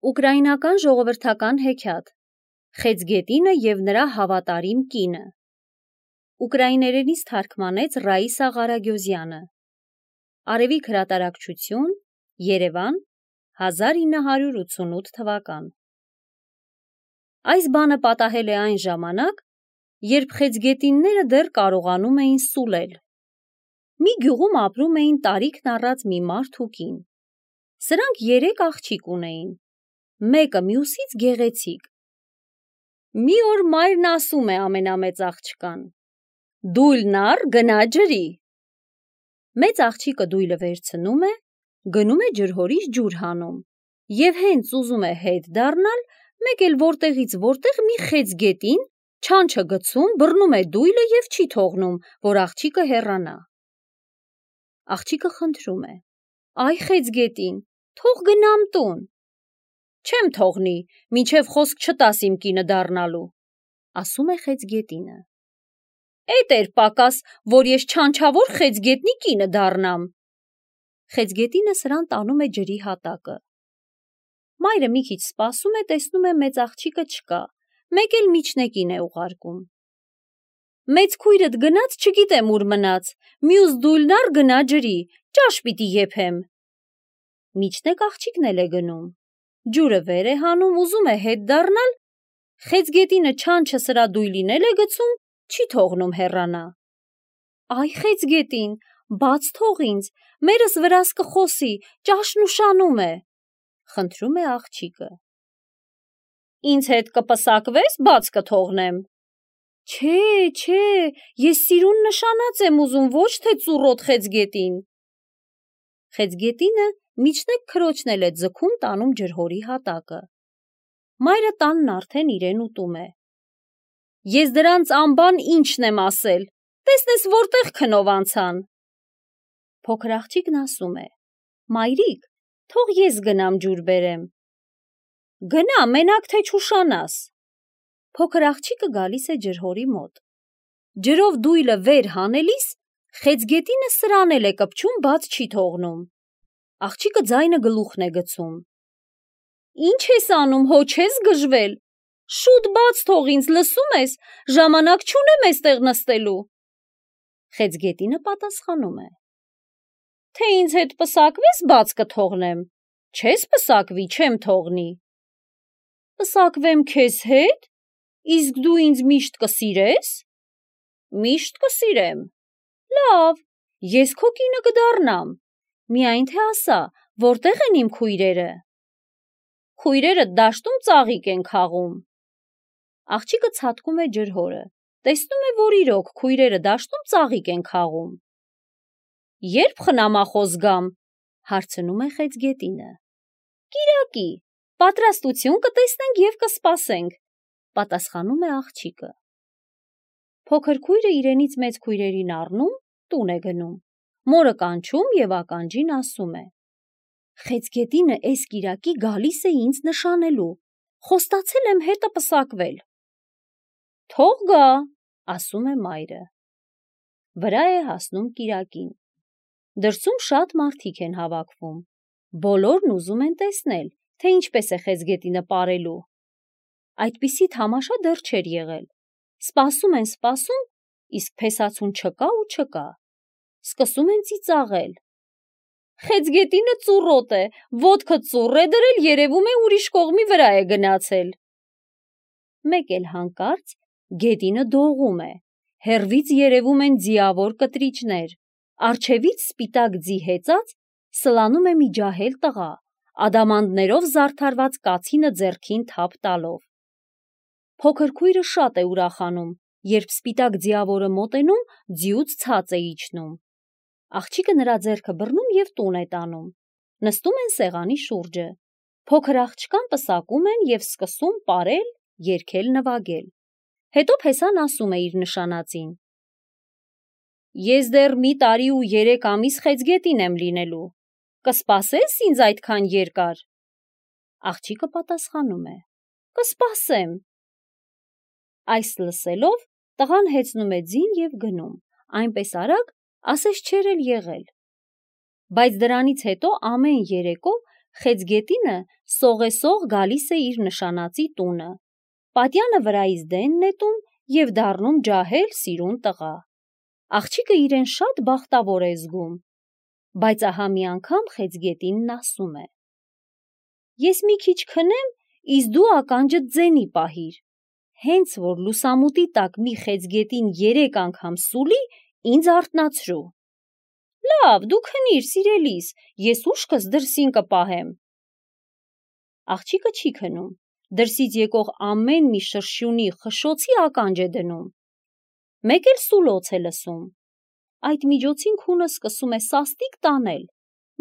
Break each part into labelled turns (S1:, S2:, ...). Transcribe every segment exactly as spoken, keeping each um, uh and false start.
S1: Ուկրաինական ժողովրդական հեքիաթ Խեցգետինը և նրա հավատարիմ կինը Ուկրաիներենից թարգմանեց Ռաիսա Ղարագյոզյանը Արևիկ հրատարակչություն Երևան հազար ինը հարյուր ութսունութ թվական Այս բանը պատահել է այն ժամանակ, երբ խեցգետինները դեռ կարողանում էին սուլել։ Մի գյուղում ապրում էին տարիքն առած մի մարդ ու կին։ Սրանք երեք աղջիկ ունեին, մեկը մյուսից գեղեցիկ։ Մի օր մայրն ասում է ամենամեծ աղջկան. «Դույլն առ, գնա ջրի»։ Մեծ աղջիկը դույլը վերցնում է, գնում է ջրհորից ջուր հանում, և հենց ուզում է հետ դառնալ, մեկ էլ որտեղից որտեղ մի խեցգետին չանչը գցում, բռնում է դույլը և չի թողնում, որ աղջիկը հեռանա։ Աղջիկը խնդրում է. «Այ խեցգետին, թող գնամ տուն»։ «Չեմ թողնի, մինչև խոսք չտաս իմ կինը դառնալու», ասում է խեցգետինը։ «Էդ էր պակաս, որ ես չանչավոր խեցգետնի կինը դառնամ»։ Խեցգետինը սրան տանում է ջրի հատակը։ Մայրը մի քիչ սպասում է, տեսնում է մեծ աղջիկը չկա, մեկ էլ միջնեկին է ուղարկում։ «Մեծ քույրդ գնաց, չգիտեմ ուր մնաց, մյուս դույլն առ, գնա ջրի, ճաշ պիտի եփեմ»։ Միջնեկ աղջիկն էլ է գնում, ջուրը վեր է հանում, ուզում է հետ դառնալ, խեցգետինը չանչը սրա դույլին էլ է գցում, չի թողնում հեռանա։ «Այ խեցգետին, բաց թող ինձ, մերս վրաս կխոսի, ճաշն ուշանում է», խնդրում է աղջիկը։ «Ինձ հետ կպսակվես, բաց կթողնեմ»։ «Չէ, չէ, ես սիրուն նշանած եմ ուզում, ոչ թե ծուռոտ խեցգետին»։ Խեցգետինը միջնեկ քրոջն էլ է ձգում տանում ջրհորի հատակը։ Մայրը տանն արդեն իրեն ուտում է։ «Ես դրանց անբան ինչն եմ ասել, տեսնես որտեղ քնով անցան»։ Փոքր աղջիկն ասում է. «Մայրիկ, թող ես գնամ ջուր բերեմ»։ «Գնա, մենակ թե չուշանաս»։ Փոքր աղջիկը գալիս է ջրհորի մոտ։ Ջրով դույլը վեր հանելիս, խեցգետինը սրան էլ է կպչում, բաց չի թողնում։ Աղջիկը ձայնը գլուխն է գցում։ «Ինչ ես անում, հո չես գժվել, շուտ բաց թող ինձ, լսում ես, ժամանակ չունեմ էստեղ նստելու»։ Խեցգետինը պատասխանում է. «Թե ինձ հետ պսակվես, բաց կթողնեմ, չես պսակվի, չեմ թողնի»։ «Պսակվեմ քեզ հետ, իսկ դու ինձ միշտ կսիրես»։ «Միշտ կսիրեմ»։ «Լավ, ես քո կինը կդառնամ, միայն թե ասա, որտեղ են իմ քույրերը»։ «Քույրերդ դաշտում ծաղիկ են քաղում»։ Աղջիկը ցատկում է ջրհորը, տեսնում է, որ իրոք քույրերը դաշտում ծաղիկ են քաղում։ «Ե՞րբ խնամախոս գամ», հարցնում է խեցգետինը։ «Կիրակի, պատրաստություն կտեսնենք և կսպասենք», պատասխանում է աղջիկը։ Փոքր քույրը իրենից մեծ քույրերին առնում, տուն է գնում, մորը կանչում և ականջին ասում է. «Խեցգետինը էս կիրակի գալիս է ինձ նշանելու, խոստացել եմ հետը պսակվել»։ «Թող գա», ասում է մայրը։ Վրա է հասնում կիրակին։ Դրսում շատ մարդիկ են հավաքվում, բոլորն ուզում են տեսնել, թե ինչպես է խեցգետինը պարելու։ Այդպիսի թամաշա դեռ չէր եղել։ Սպասում են, սպասում, իսկ փեսացուն չկա ու չկա։ Սկսում են ծիծաղել. «Խեցգետինը ծուռոտ է, ոտքը ծուռ է դրել, երևում է ուրիշ կողմի վրա է գնացել»։ Մեկ էլ հանկարծ գետինը դողում է, հեռվից երևում են ձիավոր կտրիճներ, առջևից սպիտակ ձի հեծած սլանում է մի ջահել տղա, ադամանդներով զարդարված կացինը ձեռքին թափ տալով։ Փոքր քույրը շատ է ուրախանում, երբ սպիտակ ձիավորը մոտենում, ձիուց ցած է իջնում։ Աղջիկը նրա ձեռքը բռնում և տուն է տանում։ Նստում են սեղանի շուրջը։ Փոքր աղջկան պսակում են և սկսում պարել, երգել, նվագել։ Հետո փեսան ասում է իր նշանածին. «Ես դեռ մի տարի ու երեք ամիս խեցգետին եմ լինելու, կսպասե՞ս ինձ այդքան երկար»։ Աղջիկը պատասխանում է. «Կսպասեմ»։ Այս լսելով, տղան հեծնում է ձին և գնում, այնպես արագ, ասես չէր էլ եղել։ Բայց դրանից հետո ամեն երեկո Խեցգետինը սողեսող գալիս է իր նշանածի տունը, պատյանը վրայից դեն նետում և դառնում ջահել սիրուն տղա։ Աղջիկը իրեն շատ բախտավոր է զգում, բայց ահա մի անգամ խեցգետինն ասում է. «Ես մի քիչ քնեմ, իսկ դու ականջդ ձենի պահիր, հենց որ լուսամուտի տակ մի խեցգետին երեք անգամ սուլի, ինձ արթնացրու»։ «Լավ, դու քնիր, սիրելիս, ես ուշքս դրսին կպահեմ»։ Աղջիկը չի քնում, դրսից եկող ամեն մի շրշյունի խշշոցի ականջ է դնում։ Մեկ էլ սուլոց է լսում։ Այդ միջոցին քունը սկսում է սաստիկ տանել,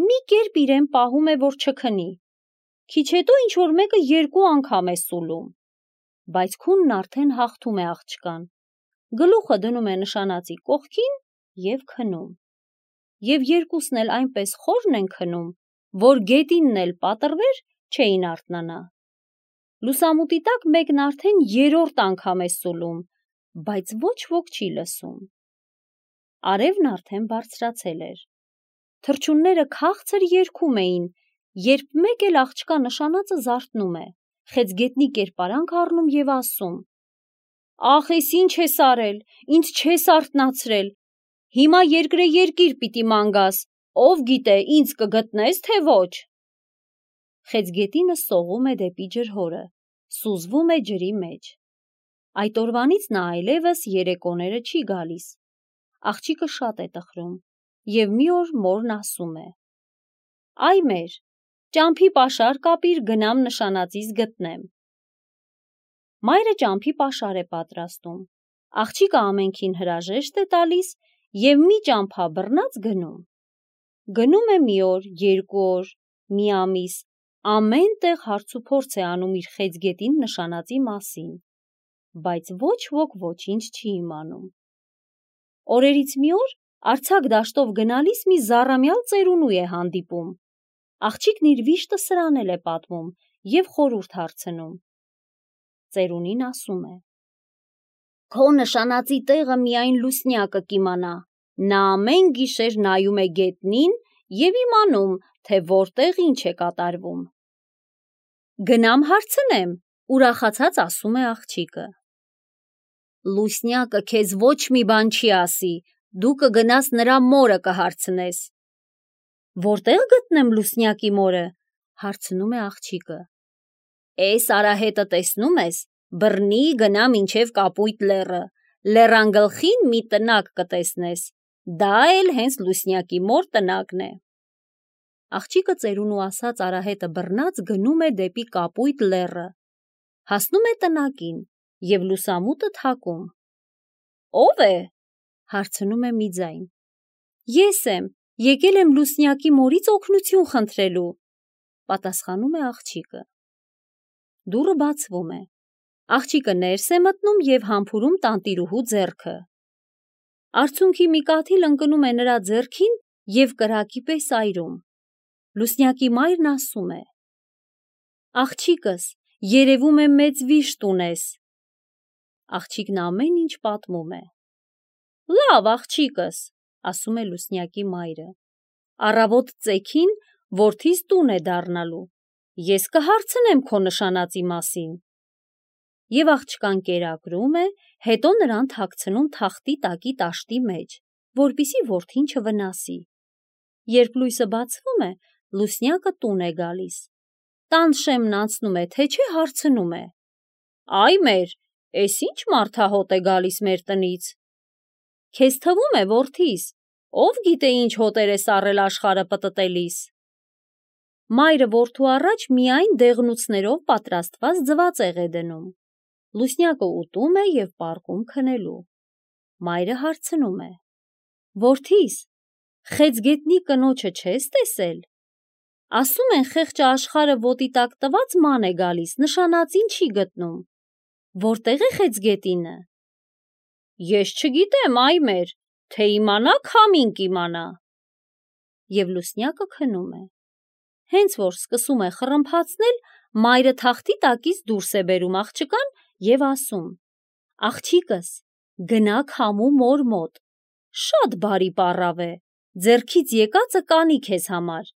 S1: մի կերպ իրեն պահում է, որ չքնի։ Քիչ հետո ինչ-որ մեկը երկու անգամ է սուլում, բայց քունն արդեն հաղթում է աղջկան, գլուխը դնում է նշանածի կողքին և քնում։ Եվ երկուսն էլ այնպես խորն են քնում, որ գետինն էլ պատռվեր, չէին արթնանա։ Լուսամուտի տակ մեկն արդեն երրորդ անգամ է սուլում, բայց ոչ ոք չի լսում։ Արևն արդեն բարձրացել էր։ Թռչունները քաղցր երգում էին, երբ մեկ էլ աղջկա նշանածը զարթնում է, խեցգետնի կերպարանք առնում և ասում. «Ախ, ես ինչ ես արել, ինձ չես արթնացրել, հիմա երկրե երկիր պիտի ման գաս, ով գիտե ինձ կգտնես, թե ոչ»։ Խեցգետինը սողում է դեպի ջրհորը, սուզվում է ջրի մեջ։ Այդ օրվանից նա այլևս երեկոները չի գալիս։ Աղջիկը շատ է տխրում, և մի օր մորն ասում է. «Այ մեր, ճամփի պաշար կապիր, գնամ նշանածիս գտնեմ»։ Մայրը ճամփի պաշար է պատրաստում, աղջիկը ամենքին հրաժեշտ է տալիս և մի ճամփա բռնած գնում։ Գնում է մի օր, երկու օր, մի ամիս, ամեն տեղ հարցուփորձ է անում իր խեցգետին նշանածի մասին, բայց ոչ ոք ոչինչ չի իմանում։ Օրերից մի օր արձակ դաշտով գնալիս մի զառամյալ ծերունու է հանդիպում։ Աղջիկն իր վիշտը սրանել է պատմում և խորհուրդ հարցնում։ Ծերունին ասում է. «Քո նշանածի տեղը միայն լուսնյակը կիմանա, նա ամեն գիշեր նայում է գետնին և իմանում, թե որտեղ ինչ է կատարվում»։ «Գնամ հարցնեմ», ուրախացած ասում է աղջիկը։ «Լուսնյակը քեզ ոչ մի բան չի ասի, դու կգնաս նրա մորը կհարցնես»։ «Որտեղ գտնեմ լուսնյակի մորը», հարցնում է աղջիկը։ «Էս արահետը տեսնում ես, բռնի գնա մինչև Կապույտ լեռը, լեռան գլխին մի տնակ կտեսնես, դա էլ հենց լուսնյակի մոր տնակն է»։ Աղջիկը ծերունու ասած արահետը բռնած գնում է դեպի Կապույտ լեռը, հասնում է տնակին և լուսամուտը թակում։ «Ո՞վ է», հարցնում է մի ձայն։ «Ես եմ, եկել եմ լուսնյակի մորից օգնություն խնդրելու», պատասխանում է աղջիկը։ Դուռը բացվում է։ Աղջիկը ներս է մտնում և համբուրում տանտիրուհու ձեռքը։ Արցունքի մի կաթիլ ընկնում է նրա ձեռքին և կրակի պես այրում։ Լուսնյակի մայրն ասում է. «Աղջիկս, երևում է մեծ վիշտ ունես»։ Աղջիկն ամեն ինչ պատմում է։ «Լավ, աղջիկս», ասում է լուսնյակի մայրը, «առավոտ ծեքին որդիս տուն է դառնալու, ես կհարցնեմ քո նշանածի մասին»։ Եվ աղջկան կերակրում է, հետո նրան թաքցնում թախտի տակի տաշտի մեջ, որպեսզի որդին չվնասի։ Երբ լույսը բացվում է, լուսնյակը տուն է գալիս։ Տան շեմն անցնում է, թե չէ հարցնում է. «Այ մեր, էս ինչ մարդահոտ է գալիս մեր տնից»։ «Քեզ թվում է, որդիս, ով գիտե ինչ հոտեր ես առել աշխարհը պտտելիս»։ Մայրը որդու առաջ միայն դեղնուցներով պատրաստված ձվածեղ է դնում։ Լուսնյակը ուտում է և պառկում քնելու։ Մայրը հարցնում է. «Որդիս, խեցգետնի կնոջը չես տեսել։ Ասում են խեղճը աշխարհը ոտի տակ տված ման է գալիս, նշանածին չի գտնում։ Որտե՞ղ է խեցգետինը»։ «Ես չգիտեմ, այ մեր, թե իմանաք, համին կիմանա»։ Եվ լուսնյակը քնում է։ Հենց որ սկսում է խռմփացնել, մայրը թախտի տակից դուրս է բերում աղջկան և ասում. «Աղջիկս, գնա քամու մոր մոտ, շատ բարի պառավ է, ձեռքից եկածը կանի քեզ համար»։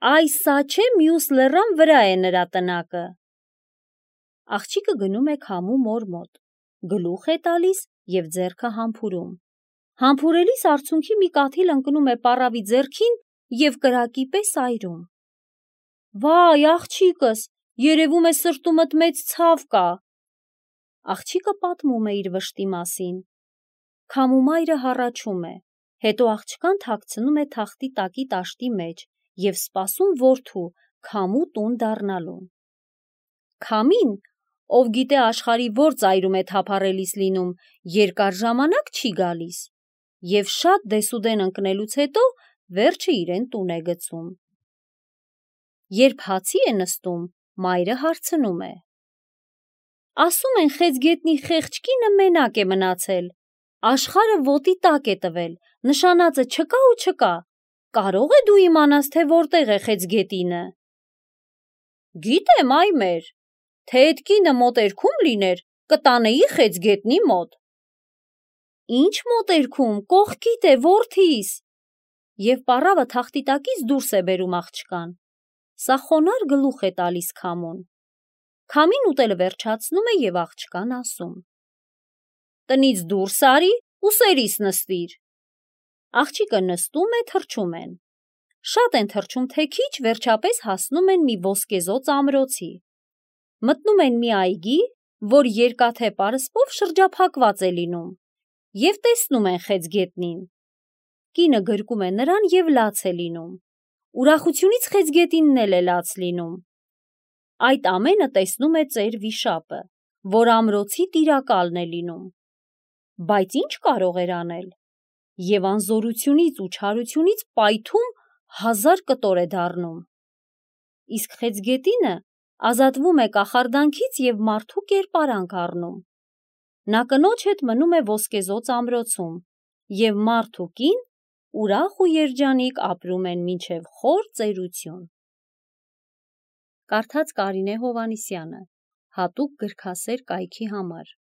S1: Այ սա չէ մյուս լեռան վրա է նրա տնակը։ Աղջիկը գնում է քամու մոր մոտ, գլուխ է տալիս և ձեռքը համբուրում։ Համբուրելիս արցունքի մի կաթիլ ընկնում է պառավի ձեռքին և կրակի պես այրում։ Վայ, աղջիկս, երևում է սրտումդ մեծ ցավ կա։ Աղջիկը պատմում է իր վշտի մասին։ Քամու մայրը հառաչում է, հետո աղջկան թաքցնում է թախտի տակի տաշտի մեջ և սպասում որդու քամու տուն դառնալուն։ Քամին, ով գիտե աշխարհի որ ծայրում է թափառելիս լինում, երկար ժամանակ չի գալիս և շատ դեսուդեն ընկնելուց հետո վերջը իրեն տուն է գցում։ Երբ հացի է նստում, մայրը հարցնում է. Ասում են խեցգետնի խեղճ կինը մենակ է մնացել, աշխարհը ոտի տակ է տվել, նշանածը չկա ու չկա, կարո՞ղ է դու իմանաս, թե որտեղ է խեցգետինը։ Գիտեմ, այ մեր, թե էդ կինը մոտերքում լիներ, կտանեի խեցգետնի մոտ։ Ինչ մոտերքում, կողքիդ է, որդիս։ Եվ պառավը թախտի տակից դուրս է բերում աղջկան։ Սա խոնարհ գլուխ է տալիս քամուն։ Քամին ուտելը վերջացնում է և աղջկան ասում. Տնից դուրս արի ու սերիս նստիր։ Աղջիկը նստում է, թռչում են։ Շատ են թռչում, թե քիչ, վերջապես հասնում են մի ոսկեզօծ ամրոցի։ Մտնում են մի այգի, որ երկաթե պարսպով շրջափակված է լինում, և տեսնում են խեցգետնին։ Կինը գրկում է նրան և լաց է լինում։ Ուրախությունից խեցգետինն էլ է լաց լինում։ Այդ ամենը տեսնում է ծեր վիշապը, որ ամրոցի տիրակալն է լինում։ Բայց ինչ կարող էր անել։ Եվ անզորությունից ու չարությունից պայթում հազար կտոր է դառնում։ Իսկ խեցգետինը ազատվում է կախարդանքից և մարդու կերպարանք առնում։ Նա կնոջ հետ մնում է ոսկեզօծ ամրոցում, և մարդ ու կին ուրախ ու երջանիկ ապրում են մինչև խոր ծերություն։ Կարդաց Կարինե Հովհաննիսյանը, հատուկ գրքասեր կայքի համար։